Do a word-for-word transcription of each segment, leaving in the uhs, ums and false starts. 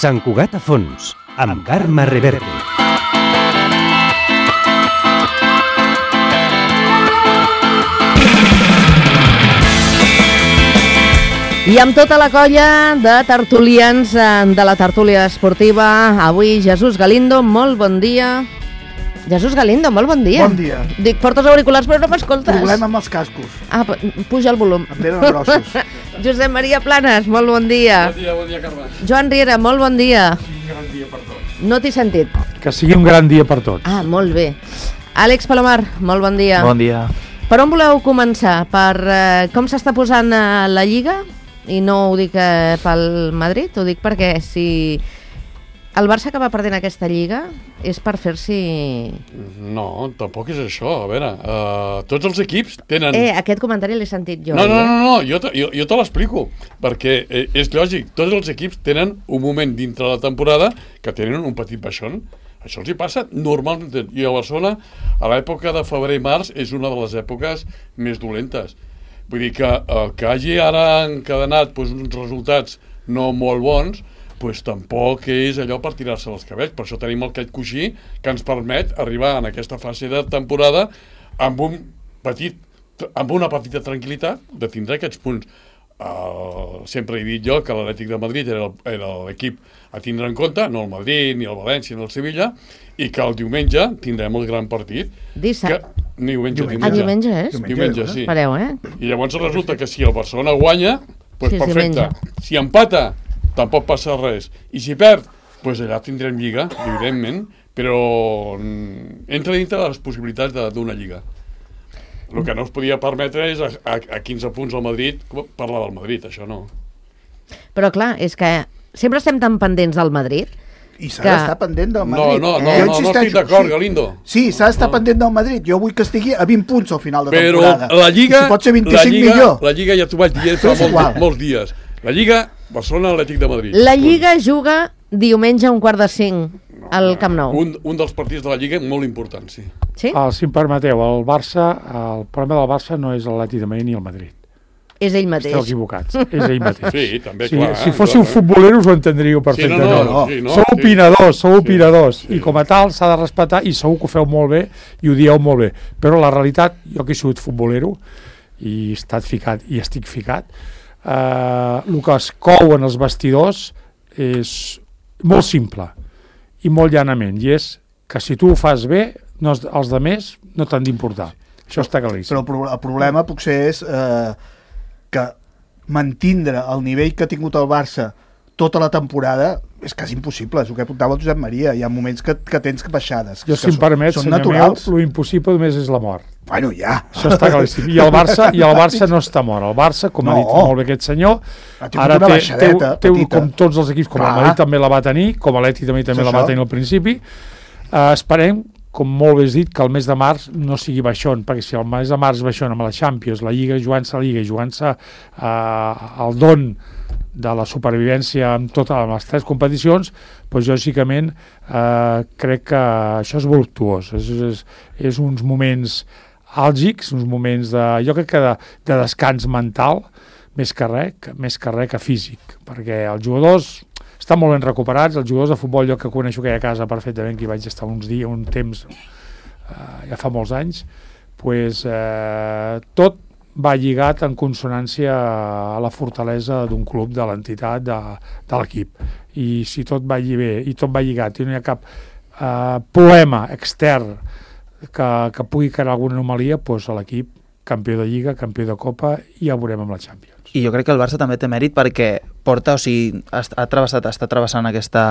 Sant Cugat a fons, amb Carme Reverte. I amb tota la colla de tertulians de la tertúlia esportiva, avui Jesús Galindo, molt bon dia. Jesús Galindo, molt bon dia. Bon dia. Dic, portes auriculars però no m'escoltes. Problema amb els cascos. Ah, puja el volum. Em tenen grossos. Josep Maria Planes, molt bon dia. Bon dia, bon dia, Carme. Joan Riera, molt bon dia. Un gran dia per tots. No t'he sentit. Que sigui un gran dia per tots. Ah, molt bé. Àlex Palomar, molt bon dia. Bon dia. Per on voleu començar? Per eh, com s'està posant eh, la Lliga? I no ho dic eh, pel Madrid, ho dic perquè si el Barça acaba perdent aquesta Lliga és per fer-s'hi... No, tampoc és això. A veure, uh, tots els equips tenen... Eh, aquest comentari l'he sentit jo. No, no, eh? no, no, jo te, jo, jo te l'explico, perquè eh, és lògic, tots els equips tenen un moment dintre la temporada que tenen un petit baixón. Això els hi passa normalment, i a Barcelona, a l'època de febrer i març, és una de les èpoques més dolentes. Vull dir que el que hagi ara encadenat doncs, uns resultats no molt bons, doncs tampoc és allò per tirar-se els cabells. Per això tenim aquest coixí que ens permet arribar en aquesta fase de temporada amb, un petit, amb una petita tranquil·litat de tindre aquests punts. Uh, sempre he dit jo que l'Atlètic de Madrid era, era l'equip a tindre en compte, no el Madrid, ni el València, ni el Sevilla, i que el diumenge tindrem el gran partit. Dissabte. Diumenge, diumenge. Ah, diumenge és? Diumenge, diumenge sí. Espereu, eh? I llavors resulta que si el Barcelona guanya, doncs sí, perfecte. Diumenge. Si empata, tampoc passa res. I si perd, doncs allà tindrem lliga, evidentment, però entra dintre de les possibilitats d'una lliga. El que no es podia permetre és a, a, a quinze punts al Madrid, parlar del Madrid, això no. Però clar, és que sempre estem tan pendents del Madrid. I s'ha que... d'estar pendent del Madrid. No, no, no, eh? no, no estic d'acord, sí. Galindo. Sí, s'ha d'estar no. pendent del Madrid. Jo vull que estigui a vint punts al final de però temporada. Però la Lliga... I si pot ser vint-i-cinc, la Lliga, millor. La Lliga ja t'ho vaig dir fa molts, molts dies. La Lliga, Barcelona, Atlètic de Madrid. La Lliga juga diumenge a un quart de cinc al Camp Nou. Un, un dels partits de la Lliga molt important, sí. Sí? Uh, si em permeteu, el Barça, el problema del Barça no és l'Atlètic de Madrid ni el Madrid. És ell mateix. Esteu equivocats, és ell mateix. Sí, també, si, clar. Si fóssiu futboleros ho entendríeu perfectament. Sí, no, no, no, sí, no, sou sí. opinadors, sou sí, opinadors, sí. i com a tal s'ha de respectar, i segur que ho feu molt bé, i ho dieu molt bé. Però la realitat, jo que he sigut futbolero, i he estat ficat, i estic ficat, eh, el que es cou en els vestidors és molt simple, i molt llanament, i és que si tu ho fas bé, no, els altres no t'han d'importar. Això està claríssim. Però el, pro el problema potser és eh, que mantindre el nivell que ha tingut el Barça tota la temporada és quasi impossible, és el que apuntava el Josep Maria. Hi ha moments que, que tens baixades. Jo, si em permet, senyor meu, l'impossible només és la mort. Bueno, ja. Això està claríssim. I el Barça, i el Barça no està mort. El Barça, com no. ha dit molt bé aquest senyor, ara té, té, té un, com tots els equips, com Clar. el Madrid també la va tenir, com l'Atlètic també, també la va tenir al principi. Uh, esperem, com molt bé has dit, que el mes de març no sigui baixón, perquè si el mes de març baixón amb la Champions, la Lliga, jugant-se la Lliga, jugant-se uh, el don de la supervivència en totes les tres competicions, doncs lògicament eh, crec que això és voluptuós, és, és, és uns moments àlgics, uns moments de, jo crec que de, de descans mental, més que res, més que res que físic, perquè els jugadors estan molt ben recuperats, els jugadors de futbol, jo que coneixo aquella casa perfectament, que hi vaig estar uns dies, un temps, eh, ja fa molts anys, pues, eh, tot va lligat en consonància a la fortalesa d'un club, de l'entitat, de, de l'equip. I si tot va bé, i tot va lligat, i no hi ha cap eh, problema extern que, que pugui crear alguna anomalia, doncs l'equip, campió de Lliga, campió de Copa, i ja ho veurem amb la Champions. I jo crec que el Barça també té mèrit perquè porta, o sigui, ha, ha travessat, està travessant aquesta,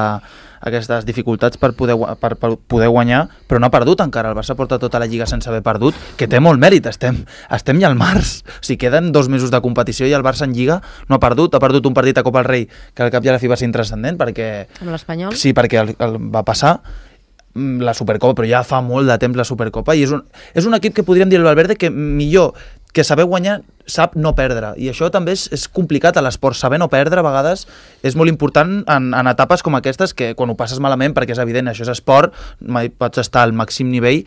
aquestes dificultats per poder, per, per poder guanyar, però no ha perdut encara. El Barça porta tota la Lliga sense haver perdut, que té molt mèrit. Estem, estem ja al març. O sigui, queden dos mesos de competició i el Barça en Lliga no ha perdut. Ha perdut un partit a Copa del Rei que al cap i a la fi va ser intranscendent perquè... Amb l'Espanyol? Sí, perquè el, el va passar la Supercopa, però ja fa molt de temps la Supercopa, i és un, és un equip que podríem dir el Valverde que millor que saber guanyar sap no perdre, i això també és, és complicat a l'esport, saber no perdre a vegades és molt important en, en etapes com aquestes, que quan ho passes malament, perquè és evident, això és esport, mai pots estar al màxim nivell,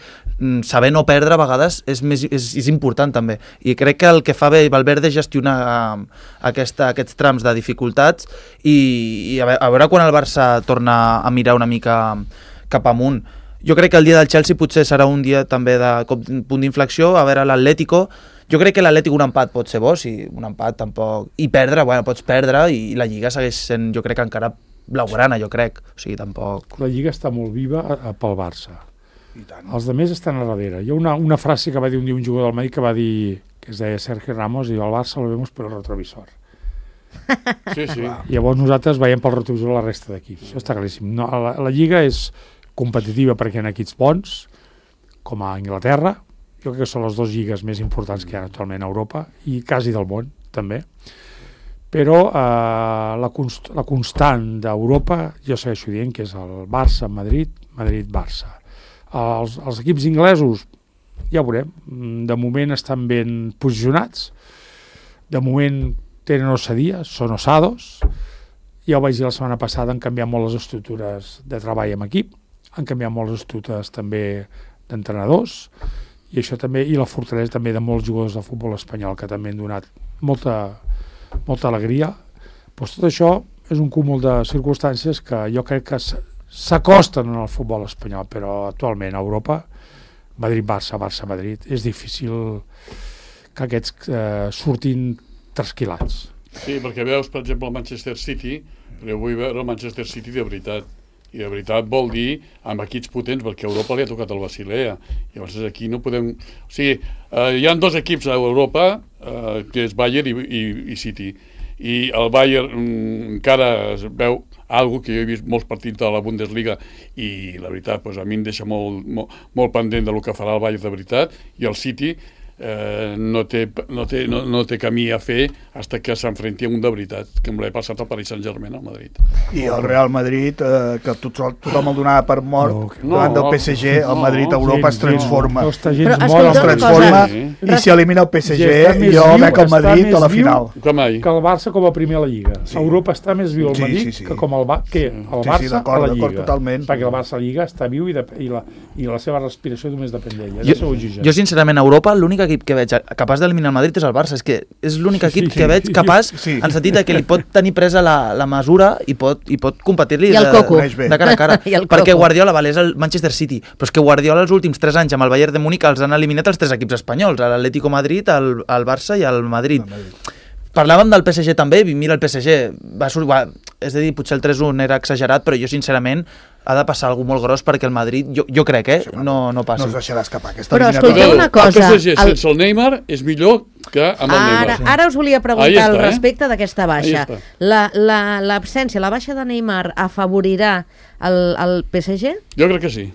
saber no perdre a vegades és, més, és, és important també, i crec que el que fa bé Valverde és gestionar uh, aquesta, aquests trams de dificultats i, i a, veure, a veure quan el Barça torna a mirar una mica cap amunt. Jo crec que el dia del Chelsea potser serà un dia també de punt d'inflexió, a veure l'Atlético. Jo crec que l'Atlètic un empat pot ser bo, si un empat tampoc... I perdre, bueno, pots perdre i la Lliga segueix sent, jo crec, encara blaugrana, jo crec. O sigui, tampoc... La Lliga està molt viva a, a, pel Barça. I tant. Els altres estan a darrere. Hi ha una, una frase que va dir un dia un jugador del Madrid que va dir, que es deia Sergio Ramos, i el Barça lo vemos per el retrovisor. Sí, sí. I llavors nosaltres veiem pel retrovisor la resta d'equips. Això està claríssim. No, la, la Lliga és competitiva perquè hi ha equips bons, com a Anglaterra. Jo crec que són les dues lligues més importants que hi ha actualment a Europa i quasi del món, també. Però eh, la, const la constant d'Europa, jo segueixo dient que és el Barça, Madrid, Madrid-Barça. Els, els equips inglesos, ja ho veurem, de moment estan ben posicionats, de moment tenen ossadia, són ossados, ja ho vaig dir la setmana passada, han canviat molt les estructures de treball amb equip, han canviat molt les estructures també d'entrenadors, i això també, i la fortalesa també de molts jugadors de futbol espanyol que també han donat molta, molta alegria. Pues tot això és un cúmul de circumstàncies que jo crec que s'acosten en el futbol espanyol, però actualment a Europa, Madrid-Barça, Barça-Madrid, és difícil que aquests eh, surtin trasquilats. Sí, perquè veus, per exemple, el Manchester City, però vull veure el Manchester City de veritat. I de veritat vol dir amb equips potents, perquè a Europa li ha tocat el Basilea. Llavors aquí no podem... O sigui, eh, hi ha dos equips a Europa, eh, que és Bayern i, i, i City. I el Bayern mm, encara es veu algo que jo he vist molts partits de la Bundesliga i la veritat, pues, a mi em deixa molt, molt, molt pendent del que farà el Bayern de veritat, i el City eh, no, té, no, té, no, no té camí a fer fins que s'enfrenti a un de veritat, que em l'he passat al Paris Saint-Germain al Madrid. I el Real Madrid, eh, que tothom, tothom el donava per mort, no, davant del P S G, el Madrid a Europa es transforma. No, no, gens Però es transforma sí. I si elimina el P S G, jo veig el Madrid a la final. Que el Barça com a primer a la Lliga. Sí. Europa està més viu al Madrid sí, sí, sí. que com el, ba que el Barça sí, sí, a la Lliga. Totalment. Perquè el Barça a la Lliga està viu i, de, i, la, i la seva respiració només depèn d'ella. Jo, jo sincerament a Europa l'únic equip que veig capaç d'eliminar el Madrid és el Barça, és que és l'únic equip sí, que veig capaç sí. en sentit que li pot tenir presa la, la mesura i pot, i pot competir-li de, de, de cara a cara. Perquè Guardiola, vale, és el Manchester City, però és que Guardiola els últims tres anys amb el Bayern de Múnich els han eliminat els tres equips espanyols, l'Atlético Madrid, el, el Barça i el Madrid. El Madrid. Parlàvem del P S G també, i mira el P S G, va, va, és a dir, potser el tres un era exagerat, però jo sincerament ha de passar alguna molt gros perquè el Madrid, jo, jo crec, eh, no, no passi. No es deixarà escapar aquesta però escolteu una cosa... El P S G el... sense el Neymar és millor que amb el ara, Neymar. Ara us volia preguntar està, al eh? respecte d'aquesta baixa. L'absència, la, la, la baixa de Neymar afavorirà el, el P S G? Jo crec que sí.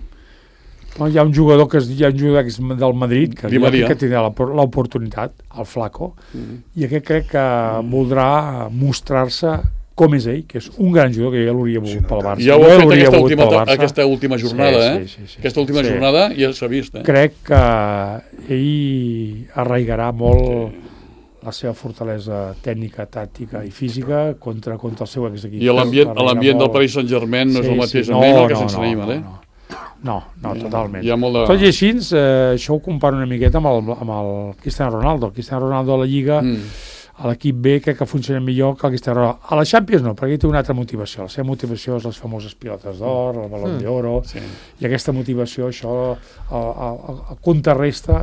No, hi ha un jugador que és, hi ha un jugador que és del Madrid que, que tindrà l'oportunitat, el Flaco, mm. i aquest crec que mm. voldrà mostrar-se com és ell, que és un gran jugador que ja l'hauria volgut sí, no, pel Barça. Ja ho ha fet aquesta última, aquesta última jornada, sí, sí, sí, sí, eh? Aquesta última sí. jornada ja s'ha vist, eh? Crec que ell arraigarà molt sí. la seva fortalesa tècnica, tàctica i física contra, contra el seu exequip. I l'ambient molt... del Paris Saint-Germain no sí, és el mateix sí, amb no, Neymar que no, sense no, Neymar, eh? No, no. No, no, totalment. Hi ha molt de... Tot i així, eh, això ho comparo una miqueta amb el, amb el Cristiano Ronaldo. El Cristiano Ronaldo a la Lliga, mm. a l'equip B, crec que funciona millor que el Cristiano Ronaldo. A la Champions no, perquè hi té una altra motivació. La seva motivació és les famoses pilotes d'or, el Balón mm. d'Oro, sí. i aquesta motivació, això, el, el, el contrarresta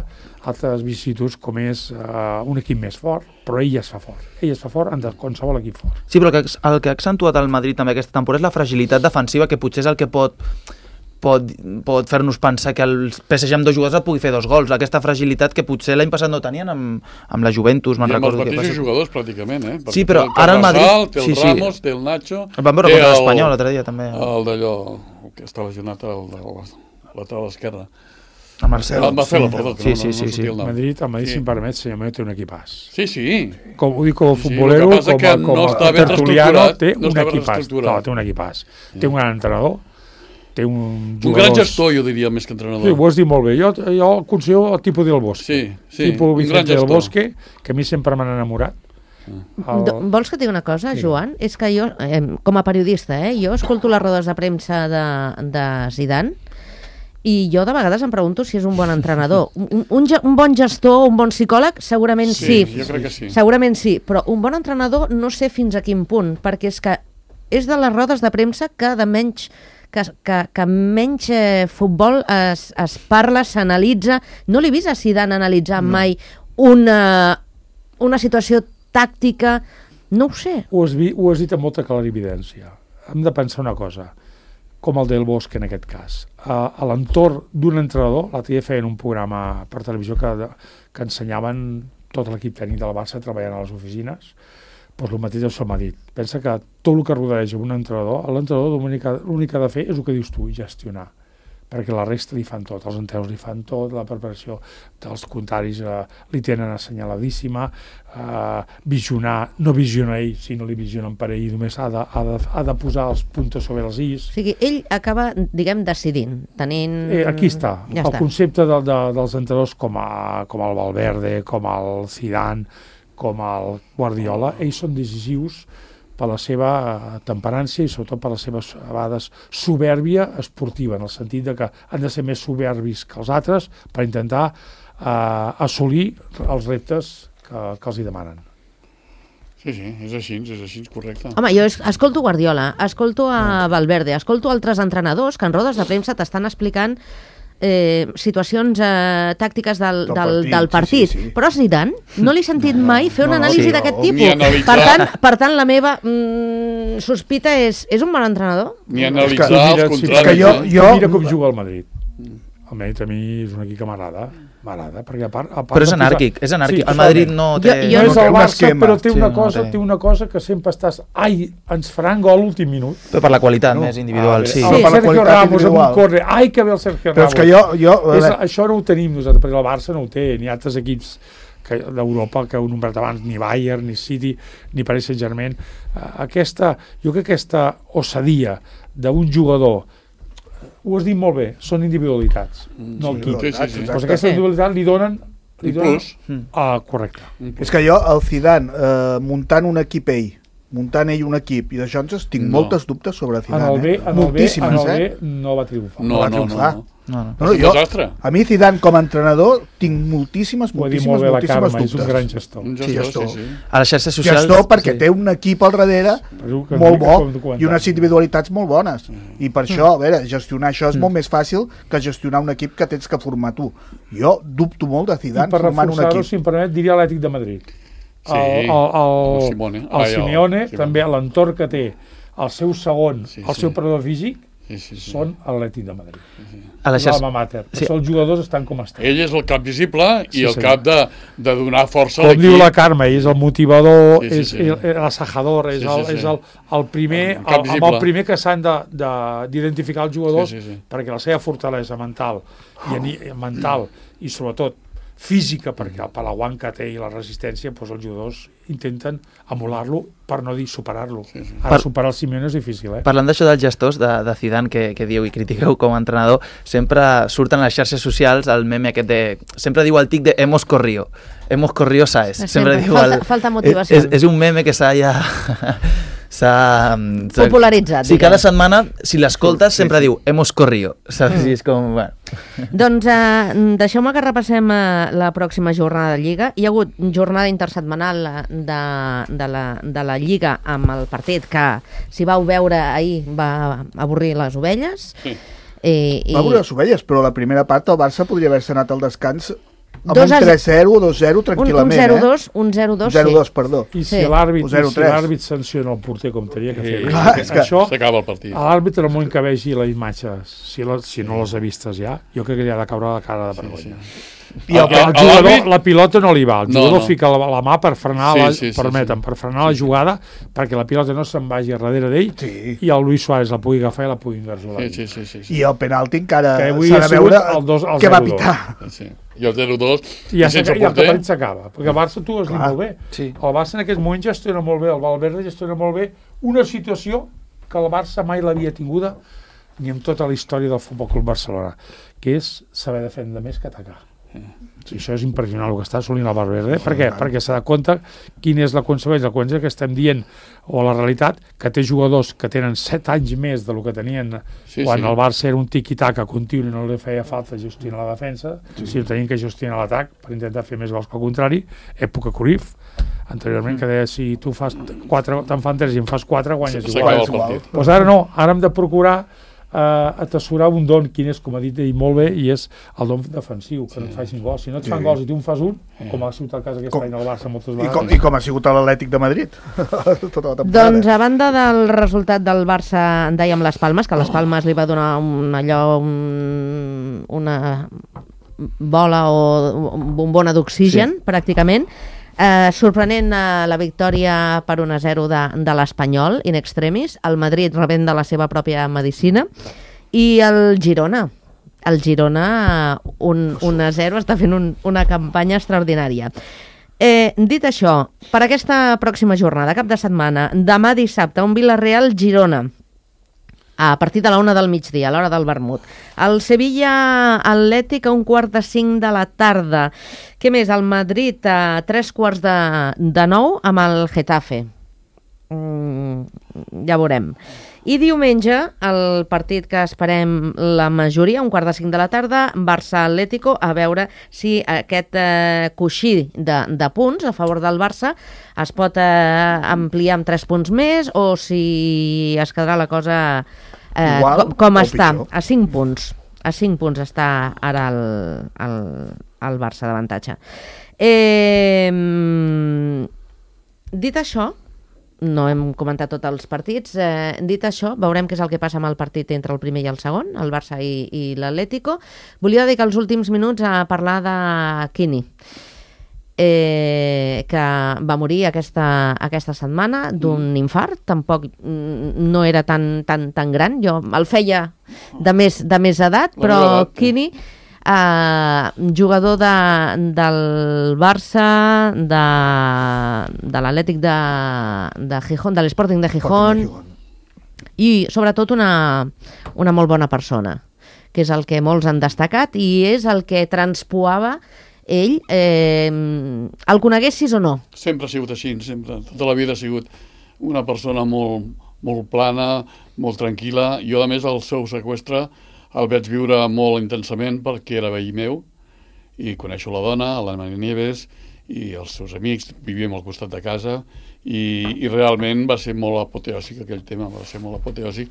altres vicissituds com és uh, un equip més fort, però ell ja es fa fort. Ell es fa fort en qualsevol equip fort. Sí, però el que, el que ha accentuat el Madrid també aquesta temporada és la fragilitat defensiva, que potser és el que pot... pot, pot fer-nos pensar que el P S G amb dos jugadors et pugui fer dos gols, aquesta fragilitat que potser l'any passat no tenien amb, amb la Juventus, me'n recordo. I amb els mateixos jugadors pràcticament, eh? Perquè sí, però ara el Madrid... Té el sí, Ramos, sí. té el Nacho... El van veure contra l'Espanyol l'altre dia també. El d'allò, que està lesionat al lateral esquerre. El Marcelo. El Marcelo, perdó, que sí, no, sí, no, sí, no sí. El Madrid, el Madrid, sí. si em permet, senyor meu, té un equipàs. Sí, sí. Com, ho dic com a futbolero, sí, com a, com no a tertuliano, té no un equipàs. No, té un equipàs. Sí. Té un gran entrenador, té un jugadors... Un gran gestor, jo diria, més que entrenador. Sí, ho has dit molt bé. Jo, jo el considero el tipus del Bosque. Sí, sí, tipus un gran Vicente del gestor. Bosque, que a mi sempre m'han enamorat. El... Vols que et digui una cosa, Joan? És que jo, eh, com a periodista, eh, jo escolto les rodes de premsa de, de Zidane i jo de vegades em pregunto si és un bon entrenador. Un, un, un bon gestor, un bon psicòleg, segurament sí. Sí, jo crec que sí. Segurament sí, però un bon entrenador no sé fins a quin punt, perquè és que és de les rodes de premsa que de menys que, que, que menys eh, futbol es, es parla, s'analitza. No l'he vist a Zidane analitzar no. mai una, una situació tàctica, no ho sé. Ho has, vi, ho has dit amb molta clarividència. Hem de pensar una cosa, com el del Bosque en aquest cas. A, a l'entorn d'un entrenador, l'altre dia feien un programa per televisió que, que ensenyaven tot l'equip tècnic del Barça treballant a les oficines, doncs el mateix el m'ha dit. Pensa que tot el que rodeja un entrenador, l'entrenador l'únic que ha de fer és el que dius tu, gestionar, perquè la resta li fan tot, els entrenadors li fan tot, la preparació dels contraris eh, li tenen assenyaladíssima, eh, visionar, no visiona ell, sinó li visionen per ell, només ha de, ha de, ha de posar els puntos sobre els is. O sigui, ell acaba, diguem, decidint, tenint... Eh, aquí està, ja el està. concepte de, de, dels entrenadors com, a, com el Valverde, com el Zidane, com el Guardiola, ells són decisius per la seva temperància i sobretot per la seva, a vegades, soberbia esportiva, en el sentit de que han de ser més soberbis que els altres per intentar eh, assolir els reptes que, que els hi demanen. Sí, sí, és així, és així, correcte. Home, jo escolto Guardiola, escolto a Valverde, escolto altres entrenadors que en rodes de premsa t'estan explicant Eh, situacions eh, tàctiques del, del, partit, del partit. Sí, sí, sí. Però a Zidane no l'he sentit no, mai fer una no, anàlisi sí, d'aquest tipus. Per tant, per tant, la meva mm, sospita és, és un bon entrenador? Ni analitzar mira, els contraris. Sí, jo, jo... Mira com juga el Madrid. El Madrid a mi és un equip que m'agrada, m'agrada, perquè a part... A part però és anàrquic, és anàrquic. Sí, el Madrid no té... Jo, jo no és el Barça, però té una, sí, cosa, no té. té una cosa que sempre estàs... Ai, ens faran gol l'últim minut. Però per la qualitat no. més individual, ah, sí. El sí. Sergio Ramos amb un corre, ai, que bé el Sergio Ramos. Però és que jo... jo és, això no ho tenim nosaltres, perquè el Barça no ho té, ni altres equips d'Europa que heu nombrat abans, ni Bayern, ni City, ni Paris Saint-Germain. Aquesta, jo crec que aquesta ossadia d'un jugador, ho has dit molt bé, són individualitats, mm, no el equip. Sí, sí, sí. Pues aquesta individualitat li donen... Li donen plus. Ah, correcte. És que jo, el Zidane, eh, muntant un equip ell, muntant ell un equip, i d'això ens tinc no. moltes dubtes sobre Zidane. En el B, eh? en el B, en el B eh? no va triomfar. No, va no, triomfar. no. no. No, no. No, no, jo, a mi Zidane com a entrenador tinc moltíssimes, moltíssimes, molt moltíssimes Carme, dubtes. És un gran gestor. Un gestor, sí, gestor. Sí, sí. A les xarxes socials... Gestor perquè sí. té un equip al darrere molt bo i unes individualitats molt bones. I per això, a veure, gestionar això és molt més fàcil que gestionar un equip que tens que formar tu. Jo dubto molt de Zidane formant un equip. I per reforçar-ho, si em permet, diria l'Atlètic de Madrid. Sí, el, el, el, el Simone, el Ai, Simeone, el, també l'entorn que té, el seu segon, sí, el sí. seu predador físic, sí, sí, sí. són l'Atlètic de Madrid. Sí, sí. A la xarxa... L'alma mater. Sí. Sí. Els jugadors estan com estan. Ell és el cap visible i sí, el sí. cap de, de donar força a com l'equip. diu la Carme, és el motivador, sí, sí, és sí. el, l'assajador, és, sí, sí, el, sí. és el, el primer, el cap el, amb el primer que s'han d'identificar els jugadors, sí, sí, sí. perquè la seva fortalesa mental i, ani, mental i sobretot física, perquè per l'aguant que té i la resistència, doncs els jugadors intenten emular-lo, per no dir superar-lo. Sí, sí. Ara per, superar el Simeone és difícil, eh? Parlant d'això dels gestors de, de Zidane que, que dieu i critiqueu com a entrenador, sempre surten a les xarxes socials el meme aquest de... Sempre diu el tic de hemos corrido, hemos corrido Saez. Sempre, sempre diu falta, el, falta motivació. És, és un meme que s'ha ja... s'ha popularitzat. Sí, cada setmana, si l'escoltes, sí, sempre sí. diu hemos corrido. Saps? Mm. És com... Bueno. Doncs eh, deixeu-me que repassem eh, la pròxima jornada de Lliga. Hi ha hagut jornada intersetmanal de, de, la, de la Lliga amb el partit que, si vau veure ahir, va avorrir les ovelles. Sí. Eh, i... Va avorrir les ovelles, però la primera part el Barça podria haver-se anat al descans amb dos un tres zero, dos zero tranquil·lament. Un zero dos, eh? un zero dos, un zero dos, sí. Perdó. I si sí. l'àrbit si sanciona el porter com tenia que fer, sí. Clar, és que això s'acaba el partit. L'àrbit, en el moment que vegi la imatge, si, la, si no les ha vistes ja, jo crec que li ha de caure la cara de vergonya. Sí, sí. I el, el, el jugador, la pilota no li va, el jugador no, no. fica la, la mà per frenar, sí, la, sí, sí, permeten, sí. per frenar la jugada perquè la pilota no se'n vagi a darrere d'ell sí. i el Luis Suárez la pugui agafar i la pugui engarjolar. Sí, sí, sí, sí, sí. I el penalti encara s'ha de veure el dos, el què va pitar. Sí. I el zero dos i, ja i sense porter. I el partit s'acaba, perquè el Barça tu has dit molt bé. Sí. El Barça en aquest moment gestiona molt bé, el Valverde gestiona molt bé una situació que el Barça mai l'havia tinguda ni en tota la història del Futbol Club Barcelona, que és saber defendre més que atacar. Sí, això és impressionant el que està assolint el Valverde. Per què? Perquè s'ha de compte quina és la conseqüència, la conseqüència que estem dient, o la realitat, que té jugadors que tenen set anys més del que tenien sí, quan sí. el Barça era un tiqui-taca continu i no li feia falta gestionar la defensa, sí. si no tenien que gestionar l'atac per intentar fer més gols que al contrari, època Cruyff, anteriorment, que deia, si tu fas quatre, te'n fan tres i en fas quatre, guanyes sí, igual. Doncs pues ara no, ara hem de procurar Uh, atessorar un don, quin és, com ha dit ell molt bé, i és el don defensiu, que sí. no et facin gols. Si no et fan sí. gols i tu en fas un, sí. com ha sigut el cas aquest com, any al Barça moltes vegades. I com, I com ha sigut l'Atlètic de Madrid. Tota la doncs a banda del resultat del Barça, en dèiem les Palmes, que les Palmes li va donar un, allò, un, una bola o bombona d'oxigen, sí. pràcticament. Eh, sorprenent eh, la victòria per un a zero de, de l'Espanyol, in extremis, el Madrid rebent de la seva pròpia medicina, i el Girona. El Girona, un, un a zero, està fent un, una campanya extraordinària. Eh, dit això, per aquesta pròxima jornada, cap de setmana, demà dissabte, un Villarreal-Girona, a partir de la una del migdia, a l'hora del vermut. El Sevilla Atlètic a un quart de cinc de la tarda. Què més? El Madrid a tres quarts de, de nou amb el Getafe. Mm, ja veurem. I diumenge, el partit que esperem la majoria, un quart de cinc de la tarda, Barça-Atlético, a veure si aquest eh, coixí de, de punts a favor del Barça es pot eh, ampliar amb tres punts més o si es quedarà la cosa eh, Igual, com, com està, pitjor. A cinc punts. A cinc punts està ara el, el, el Barça d'avantatge. Eh, dit això, no hem comentat tots els partits. Eh, dit això, veurem què és el que passa amb el partit entre el primer i el segon, el Barça i, i l'Atlético. Volia dedicar els últims minuts a parlar de Quini, eh, que va morir aquesta, aquesta setmana d'un infart. Tampoc no era tan, tan, tan gran. Jo el feia de més, de més edat, però Quini... Uh, jugador de, del Barça, de, de l'Atlètic de, de Gijón, de l'Sporting de Gijón, i sobretot una, una molt bona persona, que és el que molts han destacat i és el que transpoava ell, eh, el coneguessis o no. Sempre ha sigut així, sempre, tota la vida ha sigut una persona molt, molt plana, molt tranquil·la. Jo, a més, el seu seqüestre el vaig viure molt intensament perquè era veí meu i coneixo la dona, la Maria Nieves, i els seus amics, vivíem al costat de casa i, i realment va ser molt apoteòsic aquell tema, va ser molt apoteòsic,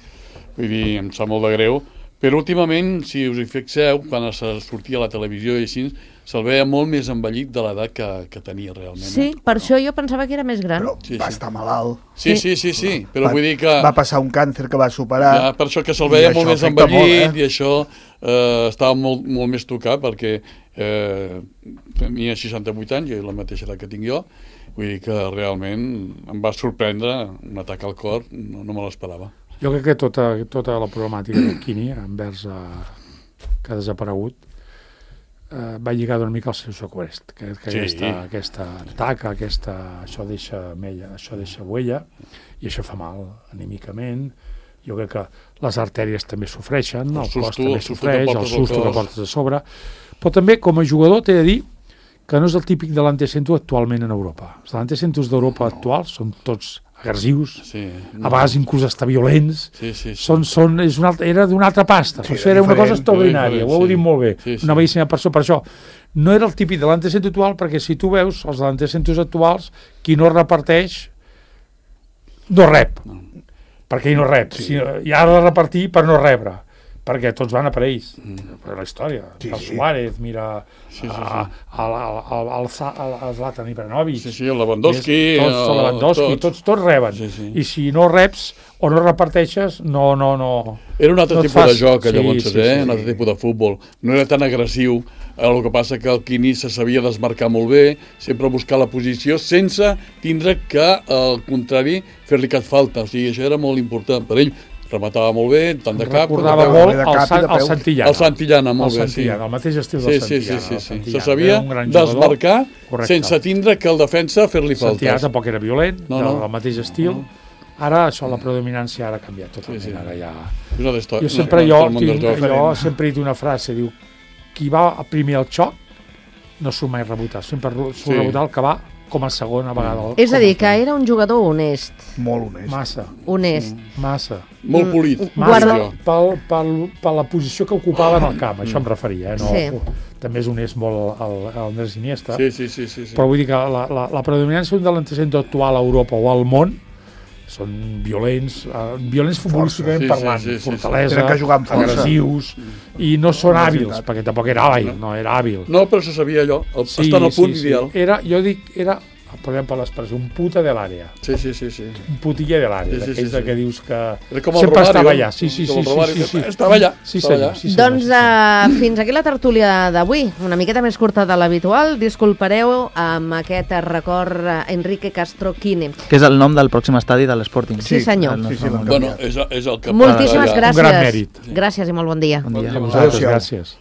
vull dir, em sap molt de greu, però últimament, si us hi fixeu, quan es sortia a la televisió i així, se'l veia molt més envellit de l'edat que, que tenia realment. Sí, eh? per no. això jo pensava que era més gran. Però sí, va sí. estar malalt. Sí, sí, sí, sí, però va, vull dir que... Va passar un càncer que va superar. Ja, per això que se'l veia molt més envellit molt, eh? I això eh, estava molt, molt més tocat perquè eh, tenia seixanta-vuit anys, i la mateixa edat que tinc jo, vull dir que realment em va sorprendre un atac al cor, no, no me l'esperava. Jo crec que tota, tota la problemàtica de Quini envers eh, que ha desaparegut eh, va lligar una mica al seu seqüest, que, que sí. aquesta, aquesta taca, aquesta, això deixa mella, això deixa huella, i això fa mal anímicament. Jo crec que les artèries també sofreixen, el, el susto, cos també sofreix, el susto que portes a sobre, però també com a jugador t'he de dir que no és el típic de l'antecentro actualment en Europa. Els antecentros d'Europa actuals són tots agressius, sí, no. a vegades inclús estar violents, sí, sí, sí. Són, són, és una altra, era d'una altra pasta, sí, era una cosa extraordinària, ho heu dit molt bé, sí, sí. Una bellíssima persona. Per això no era el típic de l'antecentro actual, perquè si tu veus els antecentros actuals, qui no reparteix no rep, no. perquè ell no rep, sí. si, i ha de repartir per no rebre, perquè tots van a per ells, mm. per la història. Sí, el Suárez, mira, sí, sí, sí. el Zlatan Ibrahimovic, sí, sí, el Lewandowski, tots, el Lewandowski tots. tots, tots reben. Sí, sí. I si no reps o no reparteixes, no, no, no... Era un altre no tipus fas... de joc, llavors, sí, sí, eh? sí, un altre sí. tipus de futbol. No era tan agressiu, el que passa que el Quini se sabia desmarcar molt bé, sempre buscar la posició, sense tindre que, al contrari, fer-li cap falta. O sigui, això era molt important per ell. Rematava molt bé, tant de cap... Recordava molt el, San, el Santillana. El Santillana, molt el bé, Santillana, sí. El mateix estil sí, del Santillana. Sí, sí, sí, sí. Se sabia desmarcar sense tindre que el defensa fer-li faltes. Santillana tampoc era violent, no, no. del mateix estil. No. Ara això, la predominància ara ha canviat totalment. Sí, sí. Ara ja... Jo sempre, jo, tinc, jo sempre he dit una frase, diu, qui va primer al xoc no surt mai rebotat, sempre surt sí. rebotat el que va com a segona vegada. És a dir, que era un jugador honest. Molt honest. Massa. Honest. Massa. Molt polit. Massa pel, pel, per la posició que ocupava en el camp, això em referia. Eh? No, sí. També és honest molt l'Andrés Iniesta. Sí, sí, sí, sí, sí. Però vull dir que la, la, la predominància d'un delantero actual a Europa o al món són violents, uh, violents futbolísticament sí, parlant, sí, sí, fortalesa, sí, sí. agressius, i no són hàbils, perquè tampoc era hàbil, no era hàbil. No, però se sabia allò, el, sí, estar al punt sí, ideal. Sí. Era, jo dic, era, podem per l'expressió, un puta de l'àrea. Sí, sí, sí, sí. Un putilla de l'àrea, sí, sí, d'aquells sí, sí. que dius que sempre Romario, estava allà. Sí, sí, sí, sí, sí, sí. Estava allà. Sí, senyor. Sí, senyor. Doncs uh, fins aquí la tertúlia d'avui, una miqueta més curta de l'habitual. Disculpareu amb aquest record uh, Enrique Castro Quine. Que és el nom del pròxim estadi de l'Sporting. Sí, senyor. Sí, sí, bueno, és, és el que moltíssimes gràcies. Un gran mèrit. Gràcies i molt bon dia. Bon dia. A vosaltres, gràcies.